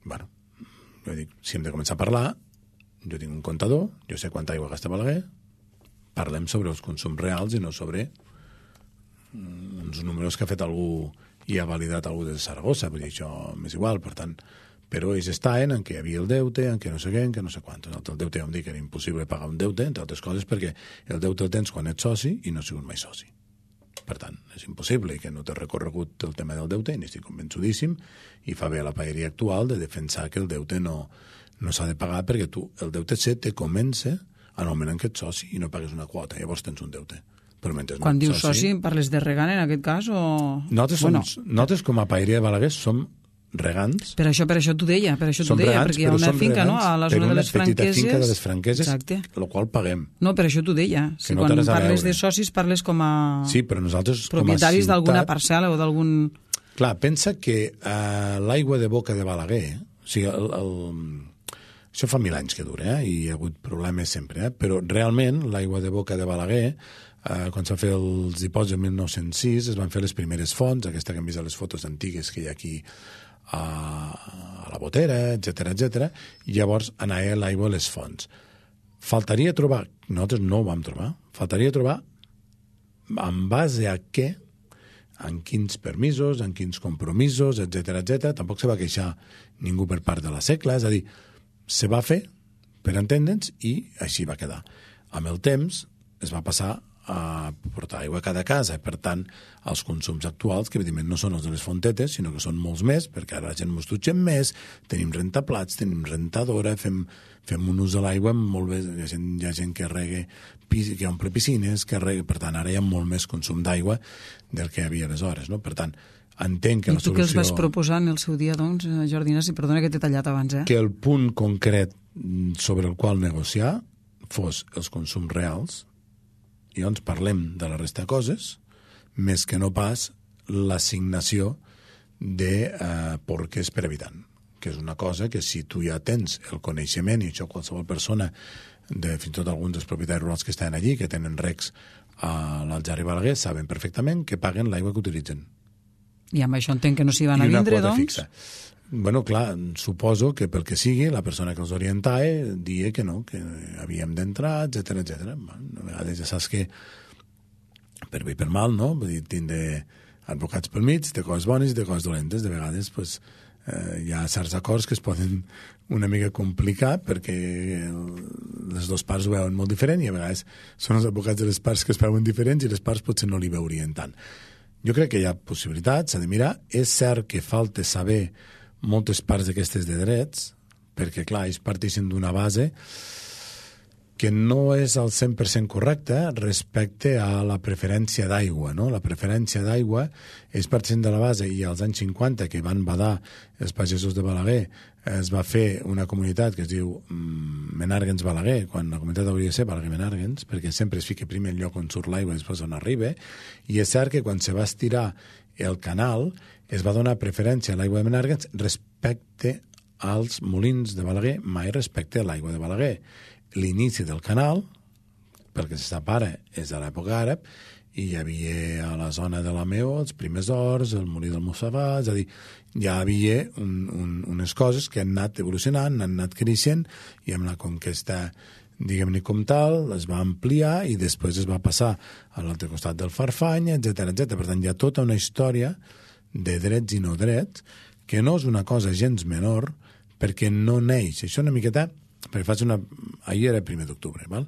Bueno, jo dic, si hem de començar a parlar, jo tinc un comptador, jo sé quanta aigua gasta Balaguer, parlem sobre els consums reals i no sobre uns números que ha fet algú i ha validat algú de Saragossa, vull dir, això m'és igual, per tant, però ells estaven en què hi havia el deute, en què no sé què, en què no sé quant. El deute vam dir que era impossible pagar un deute, entre altres coses, perquè el deute el tens quan ets soci i no has sigut mai soci. Per tant, és impossible, i que no t'ha recorregut el tema del deute, i n'estic convençudíssim, i fa bé a la paeria actual de defensar que el deute no s'ha de pagar, perquè tu, el deute te comença en el moment en què ets soci i no pagues una quota, llavors tens un deute. Quan dius soci, parles de regant en aquest cas? O... Nosaltres com a paeria de Balaguer som regants. Per això t'ho deia, perquè hi ha una finca, no?, a la zona de les Franqueses. Per una petita finca de les Franqueses, el qual paguem. No, per això t'ho deia. Si quan parles de socis parles com a propietaris d'alguna parcel·la o d'algun... Clar, pensa que l'aigua de boca de Balaguer, o sigui, això fa 1000 anys que dura, i hi ha hagut problemes sempre, però realment l'aigua de boca de Balaguer, quan s'han fet els dipòsits en 1906, es van fer les primeres fonts, aquesta que hem vist a les fotos antigues que hi ha aquí a la Botera, etcètera, i llavors anava l'aigua a les fonts. Faltaria trobar, nosaltres no ho vam trobar, faltaria trobar en base a què, en quins permisos, en quins compromisos, etcètera, tampoc se va queixar ningú per part de la Secla, és a dir, se va fer per entendre'ns i així va quedar. Amb el temps es va passar a portar aigua a cada casa, per tant, els consums actuals, que evidentment no són els de les fontetes, sinó que són molts més, perquè ara la gent mos dutxem més, tenim rentaplats, tenim rentadora, fem un ús de l'aigua molt bé, hi ha gent que rega, que omple piscines, que rega, per tant, ara hi ha molt més consum d'aigua del que hi havia aleshores, no? Per tant, entenc que la solució... I tu què els vas proposar en el seu dia, doncs, Jordi Ignasi? Perdona que t'he tallat abans, Que el punt concret sobre el qual negociar fos els consums reals, i llavors parlem de la resta de coses, més que no pas l'assignació de porques per habitant, que és una cosa que si tu ja tens el coneixement, i això qualsevol persona, fins i tot alguns dels propietaris rurals que estan allí, que tenen recs a l'Alzari Balaguer, saben perfectament que paguen l'aigua que utilitzen. I amb això entenc que no s'hi van a vindre, doncs? Fixa. bueno, clar, suposo que pel que sigui, la persona que els orientava dia que no, que havíem d'entrar, etcètera, etcètera. A vegades ja saps que per bé i per mal, no? Vull dir, tindre advocats pel mig, de coses bones i de coses dolentes. De vegades pues, hi ha certs acords que es poden una mica complicar perquè les dues parts ho veuen molt diferent i a vegades són els advocats de les parts que es veuen diferents i les parts potser no li veurien tant. Jo crec que hi ha possibilitats, s'ha de mirar. És cert que falta saber moltes parts d'aquestes de drets, perquè, clar, ells parteixen d'una base que no és al 100% correcta respecte a la preferència d'aigua, no? La preferència d'aigua és partint de la base, i als anys 50, que van badar els pagesos de Balaguer, es va fer una comunitat que es diu Menàrguens-Balaguer, quan la comunitat hauria de ser Balaguer-Menàrguens, perquè sempre es fica primer el lloc on surt l'aigua i després on arriba, i és cert que quan se va estirar el canal es va donar preferència a l'aigua de Menàrguens respecte als molins de Balaguer, mai respecte a l'aigua de Balaguer. L'inici del canal, perquè se separa, és de l'època àrab, i hi havia a la zona de la Meó els primers horts, el molí del Mussafà, és a dir, ja hi havia unes coses que han anat evolucionant, han anat creixent, i amb la conquesta, diguem-ne com tal, es va ampliar i després es va passar a l'altre costat del Farfany, etc. Per tant, hi ha tota una història de drets i no drets, que no és una cosa gens menor, perquè no neix. Això una miqueta, perquè faig una... Ahir era el 1 d'octubre, val?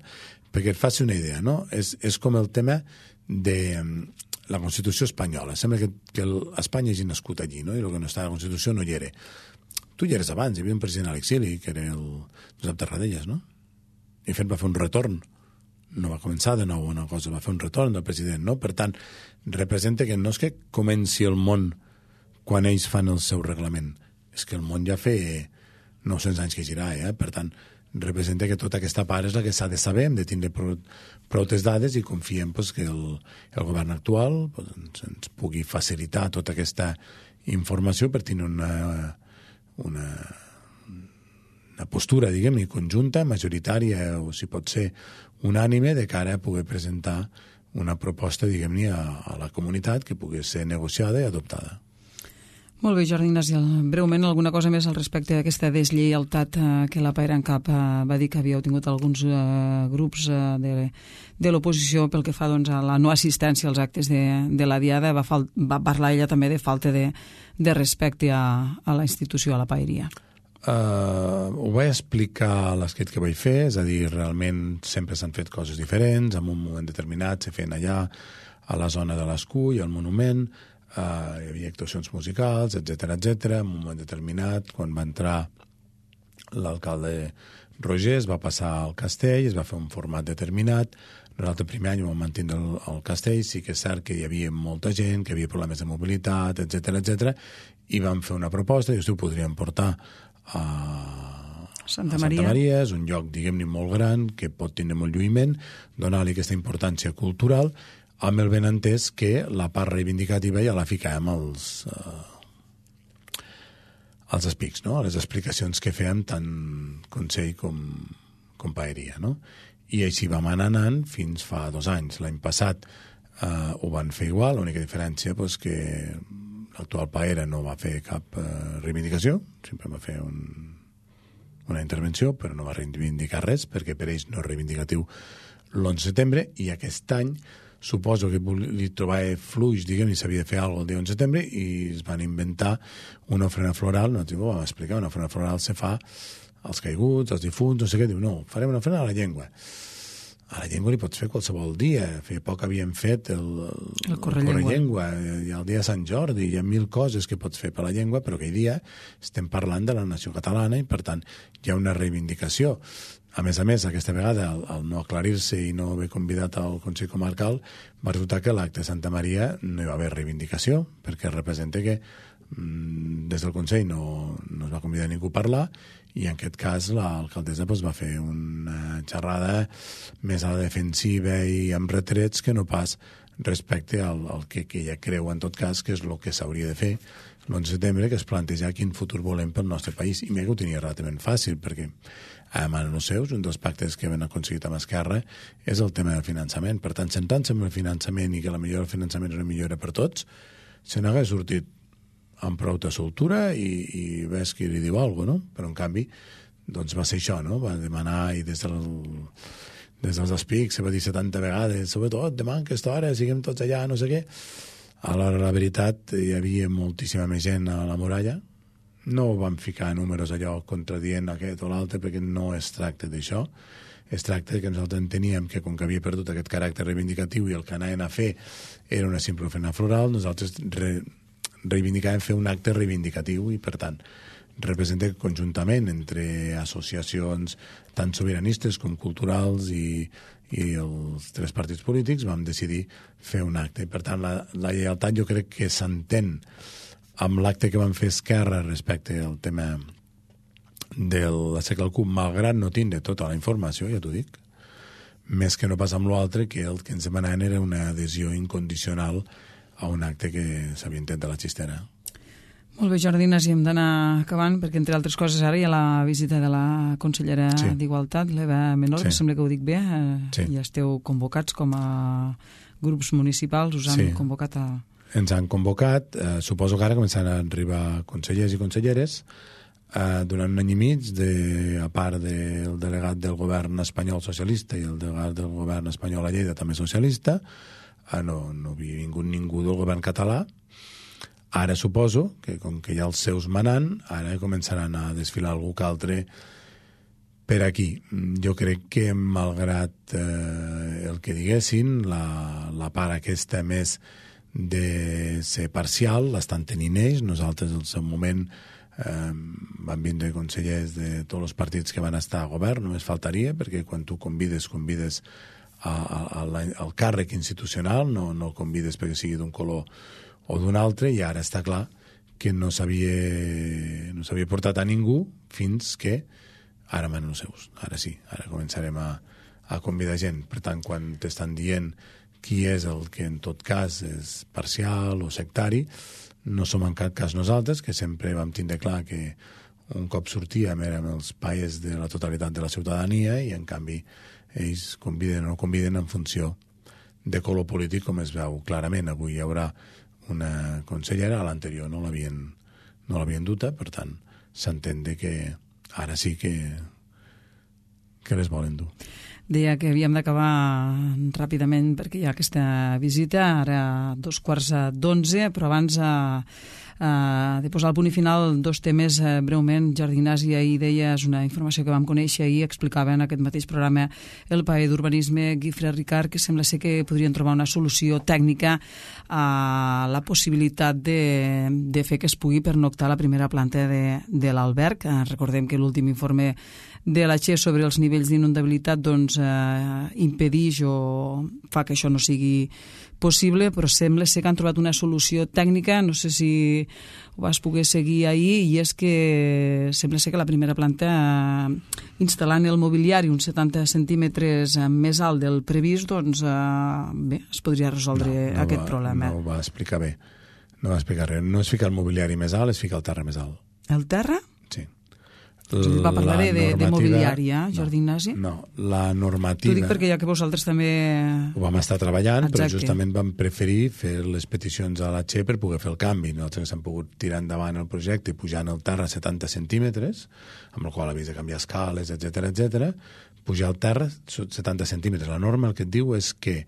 Perquè et faci una idea, no? És com el tema de la Constitució espanyola. Sembla que Espanya hagi nascut allí, no? I el que no està a la Constitució no hi era. Tu hi eres abans, hi havia un president a l'exili, que era el Josep Tarradellas, no? I fet va fer un retorn. No va començar de nou una cosa, va fer un retorn del president, no? Per tant, representa que no és que comenci el món quan ells fan el seu reglament, és que el món ja fa 900 anys que gira, Per tant, representa que tota aquesta part és la que s'ha de saber, hem de tindre prou dades i confiem pues, que el govern actual pues, ens pugui facilitar tota aquesta informació per tenir una postura, diguem-ne, conjunta, majoritària, o si pot ser unànime, de cara a poder presentar una proposta, diguem-ne, a la comunitat que pugui ser negociada i adoptada. Molt bé, Jordi Ignasi, breument alguna cosa més al respecte d'aquesta deslleialtat que la Paera en Cap va dir que havíeu tingut alguns grups de l'oposició pel que fa doncs, a la no assistència als actes de la Diada. Va parlar ella també de falta de respecte a la institució, a la paeria. Ho vaig explicar a l'escrit que vaig fer, és a dir, realment sempre s'han fet coses diferents, en un moment determinat se feien allà a la zona de l'Escull, al monument, hi havia actuacions musicals, etc. En un moment determinat, quan va entrar l'alcalde Roger, es va passar al castell, es va fer un format determinat. Nosaltres el primer any vam mantenir el castell, sí que és cert que hi havia molta gent, que hi havia problemes de mobilitat, etc. I vam fer una proposta, i ho podríem portar a Santa Maria. És un lloc, diguem-ne, molt gran, que pot tenir molt lluïment, donar-li aquesta importància cultural, amb el ben entès que la part reivindicativa ja la ficàvem als espics, no? A les explicacions que fèiem tant Consell com Paeria, no? I així vam anar anant fins fa 2 anys. L'any passat ho van fer igual, l'única diferència és que l'actual Paera no va fer cap reivindicació, sempre va fer una intervenció, però no va reivindicar res, perquè per ells no és reivindicatiu l'11 de setembre, i aquest any suposo que li trobava fluix, diguem, i s'havia de fer alguna cosa el dia 11 de setembre, i es van inventar una ofrena floral. Nosaltres ho vam explicar, una ofrena floral se fa als caiguts, als difunts, no sé què. Diu, no, farem una ofrena a la llengua. A la llengua li pots fer qualsevol dia. Feia poc havíem fet el Correllengua, i el dia de Sant Jordi, hi ha 1000 coses que pots fer per la llengua, però aquell dia estem parlant de la nació catalana i, per tant, hi ha una reivindicació. A més, aquesta vegada, al no aclarir-se i no haver convidat al Consell Comarcal, va resultar que a l'acte de Santa Maria no hi va haver reivindicació, perquè representa que des del Consell no es va convidar ningú a parlar, i en aquest cas l'alcaldessa va fer una xerrada més a la defensiva i amb retrets que no pas respecte al que ella creu, en tot cas, que és el que s'hauria de fer l'11 de setembre, que es plantejar quin futur volem pel nostre país. I mira que ho tenia relativament fàcil, perquè a manos seus, un dels pactes que hem aconseguit amb Esquerra és el tema del finançament. Per tant, centrant-se en el finançament i que la millora del finançament és una millora per tots, se n'hagués sortit amb prou soltura i ves qui li diu alguna cosa, no? Però en canvi doncs va ser això, no? Va demanar i des dels espics se va dir 70 vegades, sobretot demà en aquesta hora siguem tots allà, no sé què. Alhora, la veritat, hi havia moltíssima més gent a la muralla. No van ficar números allò contradient aquest o l'altre, perquè no es tracta d'això. Es tracta que nosaltres enteníem que, com que havia perdut aquest caràcter reivindicatiu i el que anaven a fer era una simple ofrena floral, nosaltres reivindicàvem fer un acte reivindicatiu i, per tant, representa que conjuntament entre associacions tant sobiranistes com culturals i els 3 partits polítics vam decidir fer un acte. Per tant, la lleialtat jo crec que s'entén amb l'acte que van fer Esquerra respecte al tema de la Segle al Cup, malgrat no tindre tota la informació, ja t'ho dic, més que no pas amb l'altre, que el que ens demanaven era una adhesió incondicional a un acte que s'havia intentat de la Xistera. Molt bé, Jordi Ignasi, hem d'anar acabant, perquè entre altres coses ara hi ha la visita de la consellera d'Igualtat, l'Eva Menor, que sembla que ho dic bé, ja esteu convocats com a grups municipals, us han convocat a... Ens han convocat, suposo que ara començaran a arribar consellers i conselleres, durant un any i mig, a part del delegat del govern espanyol socialista i el delegat del govern espanyol a Lleida també socialista, no havia vingut ningú del govern català. Ara suposo que, com que hi ha els seus manant, ara començaran a desfilar algú que altre per aquí. Jo crec que, malgrat el que diguessin, la part aquesta més de ser parcial l'estan tenint ells. Nosaltres, al seu moment, van vindre consellers de tots els partits que van estar a govern, només faltaria, perquè quan tu convides al càrrec institucional, no el convides perquè sigui d'un color o d'un altre, i ara està clar que no s'havia portat a ningú fins que ara manen els seus. Ara sí, ara començarem a convidar gent. Per tant, quan t'estan dient qui és el que en tot cas és parcial o sectari, no som en cap cas nosaltres, que sempre vam tindre clar que un cop sortíem érem els paies de la totalitat de la ciutadania i en canvi ells conviden o no conviden en funció de color polític, com es veu clarament. Avui hi haurà una consellera, a l'anterior no l'havien duta, per tant s'entén que ara sí que les volen dur. Deia que havíem d'acabar ràpidament perquè hi ha aquesta visita, ara 11:15, però abans de posar el punt i final, 2 temes breument. Jordi Ignasi, ahir deies una informació que vam conèixer ahir, explicava en aquest mateix programa el paer d'urbanisme Guifré Ricard, que sembla ser que podrien trobar una solució tècnica a la possibilitat de fer que es pugui pernoctar a la primera planta de l'alberg. Recordem que l'últim informe de la Che sobre els nivells d'inundabilitat impedeix o fa que això no sigui possible, però sembla ser que han trobat una solució tècnica, no sé si ho vas poder seguir ahir, i és que sembla ser que la primera planta, instal·lant el mobiliari uns 70 centímetres més alt del previst, doncs bé, es podria resoldre aquest problema. No ho va explicar bé, no va explicar res. No és ficar el mobiliari més alt, és ficar el terra més alt. El terra? Sí. Va parlar de mobiliari, Jordi Ignasi? No, la normativa... T'ho dic perquè ja que vosaltres també... Ho vam estar treballant, però justament vam preferir fer les peticions a la Che per poder fer el canvi. Nosaltres hem pogut tirar endavant el projecte pujant el terra a 70 centímetres, amb el qual havies de canviar escales, etc. Pujar el terra 70 centímetres. La norma el que et diu és que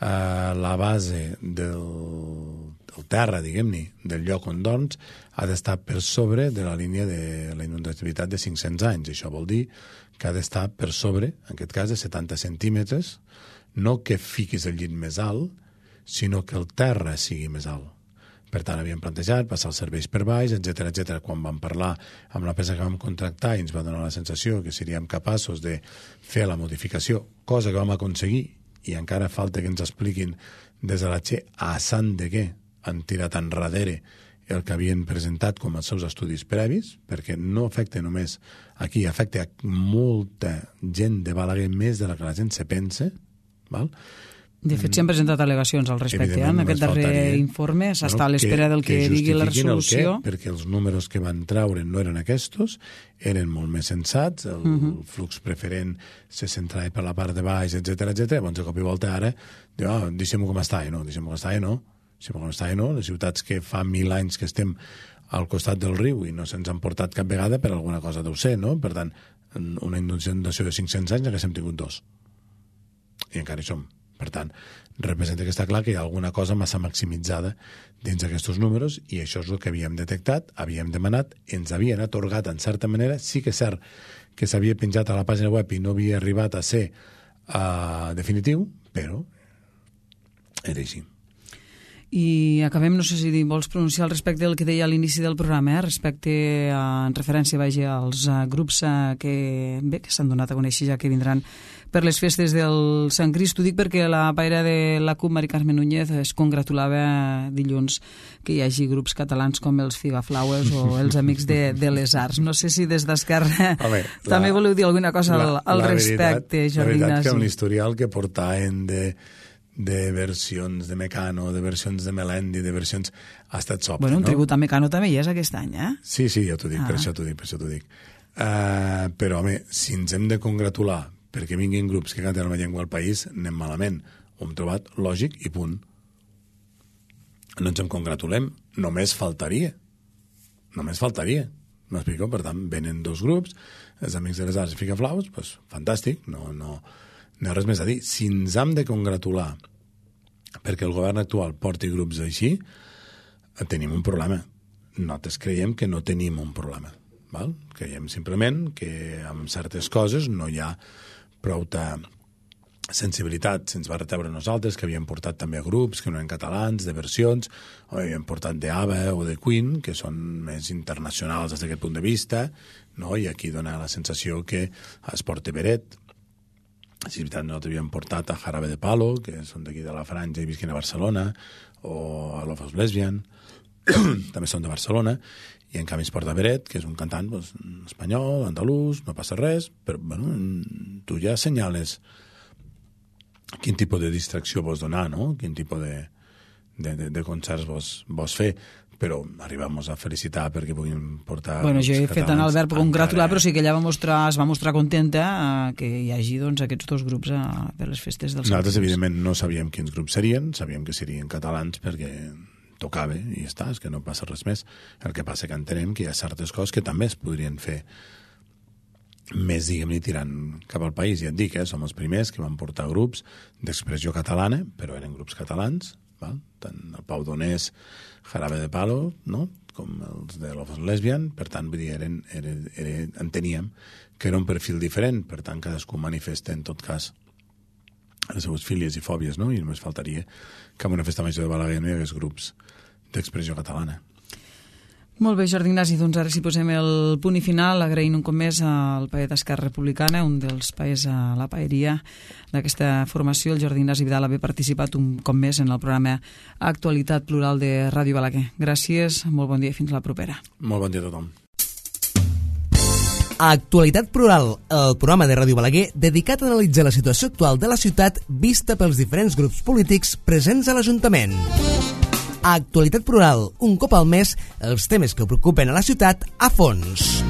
la base del terra, diguem-ne, del lloc on dorms, ha d'estar per sobre de la línia de la inundabilitat de 500 anys. Això vol dir que ha d'estar per sobre, en aquest cas, de 70 centímetres, no que fiquis el llit més alt, sinó que el terra sigui més alt. Per tant, havíem plantejat passar els serveis per baix, etc. Quan vam parlar amb l'empresa que vam contractar i ens va donar la sensació que seríem capaços de fer la modificació, cosa que vam aconseguir, i encara falta que ens expliquin des de la Che a sant de què han tirat enrere el que havien presentat com els seus estudis previs, perquè no afecta només aquí, afecta molta gent de Balaguer, més de la que la gent se pensa, val? De fet, s'han presentat al·legacions al respecte. En aquest darrer informe s'està a l'espera del que digui la resolució. Perquè els números que van traure no eren aquests, eren molt més sensats, el flux preferent se centrava per la part de baix, etc. Llavors, de cop i volta, ara, diu, deixem-ho com està, no, deixem-ho com està, no. Si com està, no? Les ciutats que fa 1000 anys que estem al costat del riu i no se'ns han portat cap vegada, per alguna cosa deu ser, no? Per tant, una inundació de 500 anys haguéssim tingut 2. I encara hi som. Per tant, representa que està clar que hi ha alguna cosa massa maximitzada dins d'aquests números i això és el que havíem detectat, havíem demanat, ens havien atorgat en certa manera. Sí que és cert que s'havia penjat a la pàgina web i no havia arribat a ser definitiu, però era així. I acabem, no sé si vols pronunciar al respecte del que deia a l'inici del programa, respecte en referència als grups que s'han donat a conèixer ja que vindran per les festes del Sant Crist. Ho dic perquè la paira de la CUP, Mari Carme Núñez, es congratulava dilluns que hi hagi grups catalans com els Figaflaues o els Amics de les Arts. No sé si des d'Esquerra també voleu dir alguna cosa al respecte, Jordi Ignasi. La veritat que amb l'historial que portaven de versions de Mecano, de versions de Melendi, de versions... Ha estat sobte, un no? tribut a Mecano també hi és aquest any, eh? Sí, ja t'ho dic, per això t'ho dic. Però, home, si ens hem de congratular perquè vinguin grups que canten la llengua al país, anem malament. Ho hem trobat lògic i punt. No ens en congratulem. Només faltaria. M'explico? Per tant, venen 2 grups, els Amics de les Arts i Figaflaus, doncs fantàstic, no hi ha res més a dir. Si ens hem de congratular perquè el govern actual porti grups així, tenim un problema. Nosaltres creiem que no tenim un problema. Val? Creiem simplement que amb certes coses no hi ha prou sensibilitat. Se'ns va retebre a nosaltres, que havíem portat també a grups que no eren catalans, de versions, o havíem portat d'ABBA o de Queen, que són més internacionals des d'aquest punt de vista, no? I aquí dona la sensació que es porta Beret. Si és veritat, nosaltres havíem portat a Jarabe de Palo, que són d'aquí de la Franja i visquen a Barcelona, o a Love of Lesbian, també són de Barcelona, i en canvi es porta Beret, que és un cantant espanyol, andalús, no passa res, però tu ja assenyales quin tipus de distracció vols donar, no? Quin tipus de concerts vols fer, però arribem a felicitar perquè puguin portar... Jo he fet anar Albert per congratular, però sí que ella es va mostrar contenta que hi hagi aquests 2 grups per les festes del Sant Crist. Nosaltres, evidentment, no sabíem quins grups serien, sabíem que serien catalans perquè tocava i ja està, és que no passa res més. El que passa que entenem que hi ha certes coses que també es podrien fer més, diguem-ne, tirant cap al país. Ja et dic, som els primers que van portar grups d'expressió catalana, però eren grups catalans, val? Tant el Pau Donés, Jarabe de Palo, no? Com els de Love of Lesbian, per tant, vull dir, enteníem que era un perfil diferent, per tant, cadascú manifesta, en tot cas, les seues fílies i fòbies, no? I només faltaria que en una festa major de Balaguer no hi hagués grups d'expressió catalana. Molt bé, Jordi Ignasi, doncs ara si posem el punt i final, agraint un cop més al paer d'Esquerra Republicana, un dels paers a la paeria d'aquesta formació, el Jordi Ignasi Vidal, haver participat un cop més en el programa Actualitat Plural de Ràdio Balaguer. Gràcies, molt bon dia i fins la propera. Molt bon dia a tothom. Actualitat Plural, el programa de Ràdio Balaguer dedicat a analitzar la situació actual de la ciutat vista pels diferents grups polítics presents a l'Ajuntament. Actualitat Plural, un cop al mes, els temes que preocupen a la ciutat a fons.